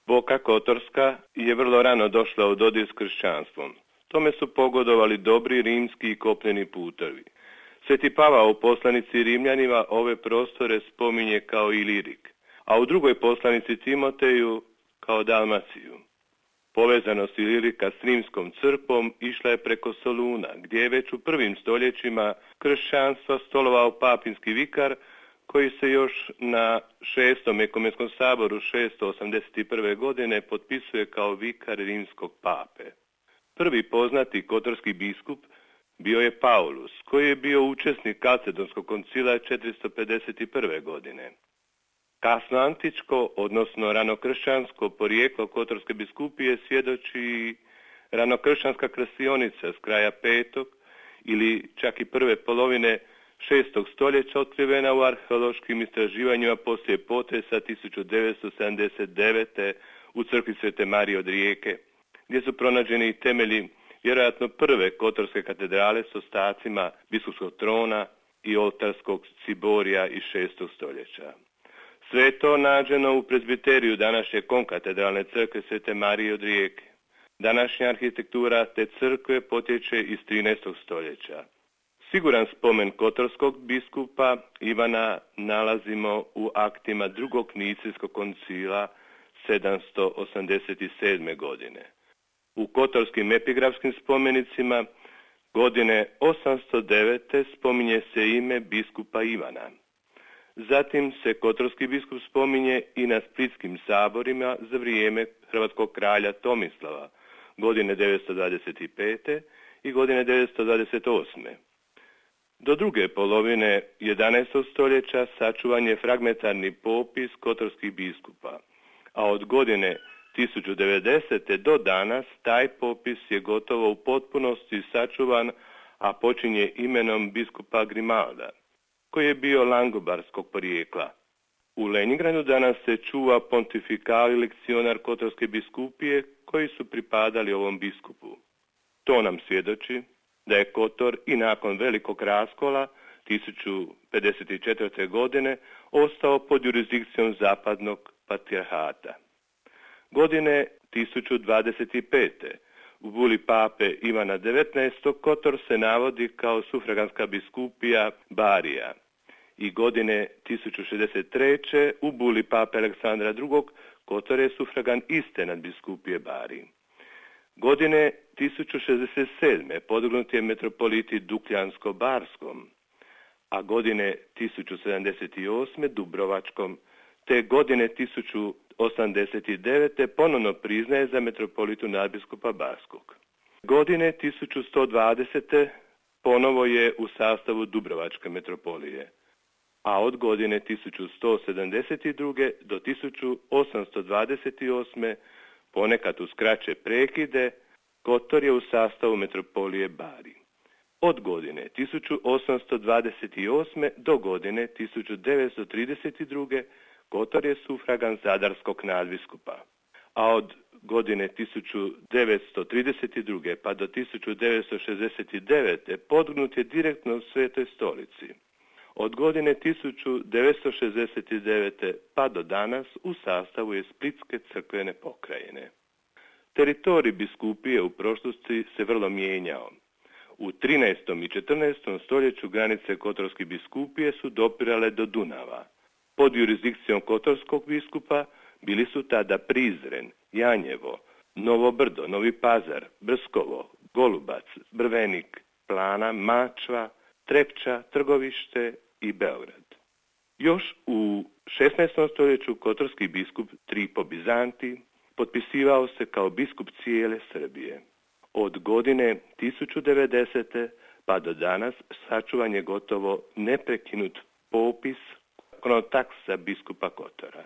Boka Kotorska je vrlo rano došla u dodir s kršćanstvom. Tome su pogodovali dobri rimski i kopneni putovi. Sveti Pavao u poslanici Rimljanima ove prostore spominje kao Ilirik, a u drugoj poslanici Timoteju kao Dalmaciju. Povezanost Ilirika s rimskom crkvom išla je preko Soluna, gdje je već u prvim stoljećima kršćanstva stolovao papinski vikar, koji se još na 6. ekumenskom saboru 681. godine potpisuje kao vikar rimskog pape. Prvi poznati kotorski biskup bio je Paulus, koji je bio učesnik Kalcedonskog koncila 451. godine. Kasno antičko, odnosno ranokršćansko porijeklo Kotorske biskupije svjedoči ranokršćanska krasionica s kraja 5. ili čak i prve polovine 6. stoljeća otkrivena u arheološkim istraživanjima poslije potresa 1979. u crkvi Svete Marije od Rijeke, gdje su pronađeni temelji vjerojatno prve Kotorske katedrale s ostacima biskupskog trona i oltarskog ciborija iz 6. stoljeća. Sve je to nađeno u prezbiteriju današnje konkatedralne crkve Svete Marije od Rijeke. Današnja arhitektura te crkve potječe iz 13. stoljeća. Siguran spomen kotorskog biskupa Ivana nalazimo u aktima drugog Nicijskog koncila 787. godine. U kotorskim epigrafskim spomenicima godine 809. spominje se ime biskupa Ivana. Zatim se kotorski biskup spominje i na splitskim saborima za vrijeme hrvatskog kralja Tomislava, godine 925. i godine 928. Do druge polovine 11. stoljeća sačuvan je fragmentarni popis kotorskih biskupa, a od godine 1090. do danas taj popis je gotovo u potpunosti sačuvan, a počinje imenom biskupa Grimalda, koji je bio langobarskog porijekla. U Leningradu danas se čuva pontifikali lekcionar Kotorske biskupije koji su pripadali ovom biskupu. To nam svjedoči da je Kotor i nakon velikog raskola 1054. godine ostao pod jurisdikcijom zapadnog patrijarhata. Godine 1025. u buli pape Ivana XIX. Kotor se navodi kao sufraganska biskupija Barija i godine 1063. u buli pape Aleksandra II. Kotor je sufragan iste nadbiskupije Bariji. Godine 1067. podignut je metropoliti Dukljansko-Barskom, a godine 1078. Dubrovačkom, te godine 1089. ponovno priznaje za metropolitu nadbiskupa Barskog. Godine 1120. ponovo je u sastavu Dubrovačke metropolije, a od godine 1172. do 1828. ponekad uz kraće prekide, Kotor je u sastavu metropolije Bari. Od godine 1828. do godine 1932. Kotor je sufragan zadarskog nadbiskupa, a od godine 1932. pa do 1969. podignut je direktno u Svetoj stolici. Od godine 1969. pa do danas u sastavu je Splitske crkvene pokrajine. Teritorij biskupije u prošlosti se vrlo mijenjao. U 13. i 14. stoljeću granice Kotorske biskupije su dopirale do Dunava. Pod jurisdikcijom kotorskog biskupa bili su tada Prizren, Janjevo, Novo Brdo, Novi Pazar, Brskovo, Golubac, Brvenik, Plana, Mačva, Trepča, Trgovište i Beograd. Još u 16. stoljeću kotorski biskup Tripo Bizanti potpisivao se kao biskup cijele Srbije. Od godine 1090. pa do danas sačuvan je gotovo neprekinut popis kronotaksa biskupa Kotora.